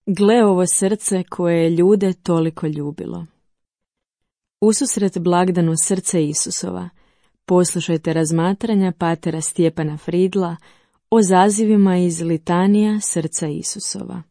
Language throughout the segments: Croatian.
Gle ovo srce koje je ljude toliko ljubilo. Ususret blagdanu srce Isusova, poslušajte razmatranja patera Stjepana Fridla o zazivima iz litanija srca Isusova.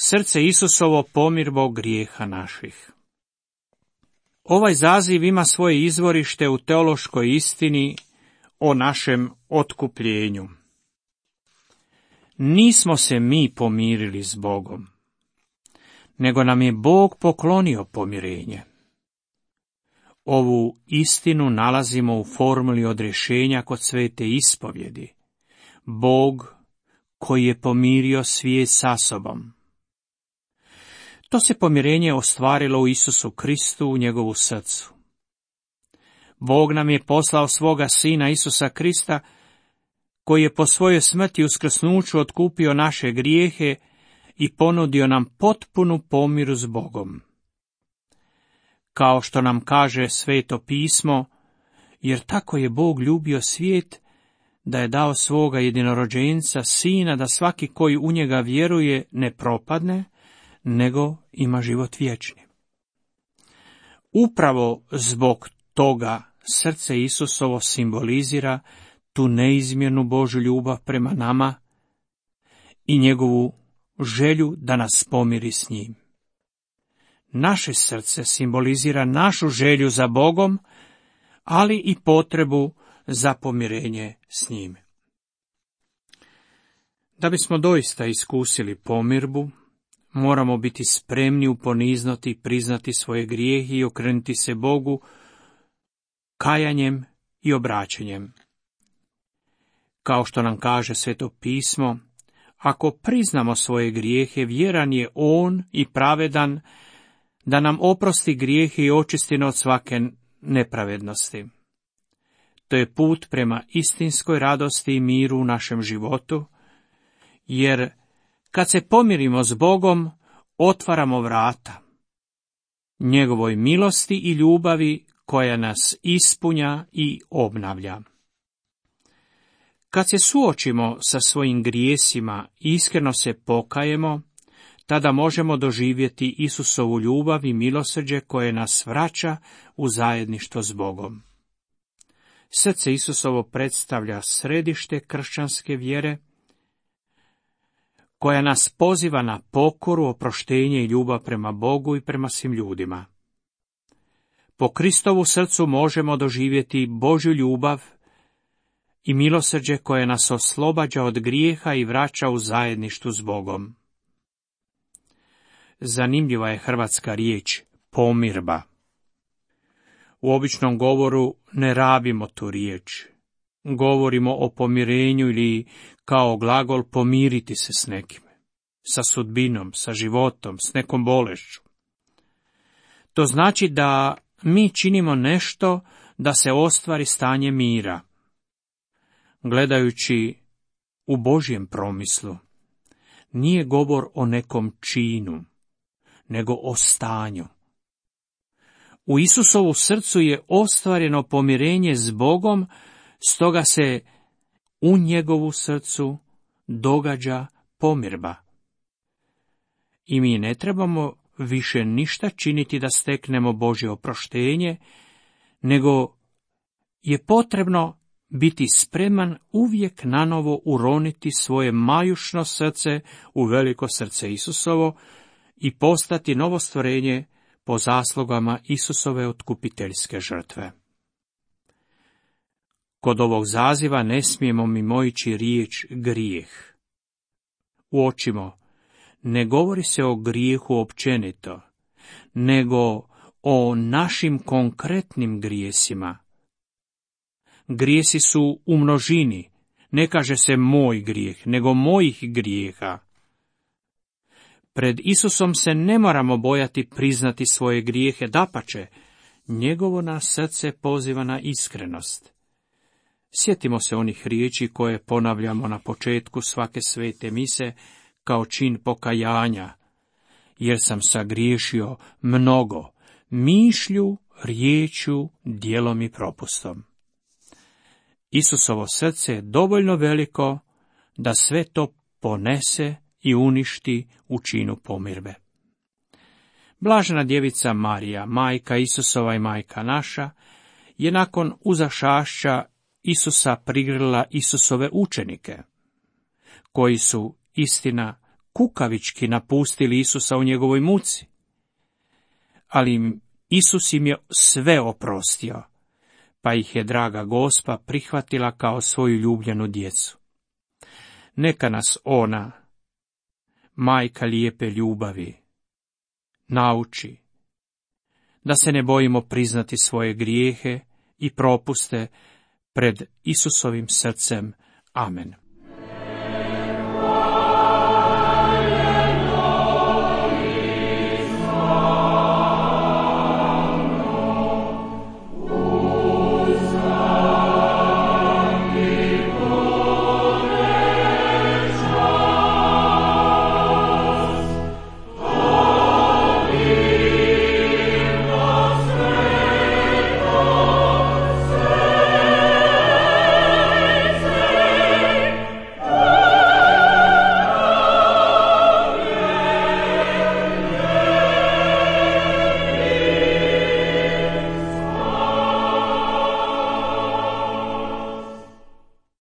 Srce Isusovo, pomirbo grijeha naših. Ovaj zaziv ima svoje izvorište u teološkoj istini o našem otkupljenju. Nismo se mi pomirili s Bogom, nego nam je Bog poklonio pomirenje. Ovu istinu nalazimo u formuli odrješenja kod svete ispovjedi. Bog koji je pomirio svijet sa sobom. To se pomirenje ostvarilo u Isusu Kristu, u njegovu srcu. Bog nam je poslao svoga Sina Isusa Krista, koji je po svojoj smrti uskrsnuću otkupio naše grijehe i ponudio nam potpunu pomiru s Bogom. Kao što nam kaže Sveto pismo, jer tako je Bog ljubio svijet, da je dao svoga jedinorođenca Sina, da svaki koji u njega vjeruje ne propadne, nego ima život vječni. Upravo zbog toga srce Isusovo simbolizira tu neizmjernu Božju ljubav prema nama i njegovu želju da nas pomiri s njim. Naše srce simbolizira našu želju za Bogom, ali i potrebu za pomirenje s njim. Da bismo doista iskusili pomirbu, moramo biti spremni uponiznuti i priznati svoje grijehe i okrenuti se Bogu kajanjem i obraćanjem. Kao što nam kaže Sveto pismo, ako priznamo svoje grijehe, vjeran je On i pravedan da nam oprosti grijehe i očisti od svake nepravednosti. To je put prema istinskoj radosti i miru u našem životu, jer kad se pomirimo s Bogom, otvaramo vrata njegovoj milosti i ljubavi koja nas ispunja i obnavlja. Kad se suočimo sa svojim grijesima i iskreno se pokajemo, tada možemo doživjeti Isusovu ljubav i milosrđe koje nas vraća u zajedništvo s Bogom. Srce Isusovo predstavlja središte kršćanske vjere, koja nas poziva na pokoru, oproštenje i ljubav prema Bogu i prema svim ljudima. Po Kristovu srcu možemo doživjeti Božju ljubav i milosrđe koje nas oslobađa od grijeha i vraća u zajedništvu s Bogom. Zanimljiva je hrvatska riječ pomirba. U običnom govoru ne rabimo tu riječ. Govorimo o pomirenju ili kao glagol pomiriti se s nekim, sa sudbinom, sa životom, s nekom bolešću. To znači da mi činimo nešto da se ostvari stanje mira. Gledajući u Božjem promislu, nije govor o nekom činu, nego o stanju. U Isusovu srcu je ostvareno pomirenje s Bogom, stoga se u njegovu srcu događa pomirba. I mi ne trebamo više ništa činiti da steknemo Božje oproštenje, nego je potrebno biti spreman uvijek nanovo uroniti svoje majušno srce u veliko srce Isusovo i postati novo stvorenje po zaslugama Isusove otkupiteljske žrtve. Kod ovog zaziva ne smijemo mimoići riječ grijeh. Uočimo, ne govori se o grijehu općenito, nego o našim konkretnim grijesima. Grijesi su u množini, ne kaže se moj grijeh, nego mojih grijeha. Pred Isusom se ne moramo bojati priznati svoje grijehe, dapače, njegovo nas srce poziva na iskrenost. Sjetimo se onih riječi koje ponavljamo na početku svake svete mise kao čin pokajanja, jer sam sagriješio mnogo, mišlju, riječju, djelom i propustom. Isusovo srce je dovoljno veliko da sve to ponese i uništi u činu pomirbe. Blažena djevica Marija, majka Isusova i majka naša, je nakon uzašašća Isusa prigrlila Isusove učenike, koji su, istina, kukavički napustili Isusa u njegovoj muci. Ali Isus im je sve oprostio, pa ih je draga Gospa prihvatila kao svoju ljubljenu djecu. Neka nas ona, majka lijepe ljubavi, nauči da se ne bojimo priznati svoje grijehe i propuste pred Isusovim srcem. Amen.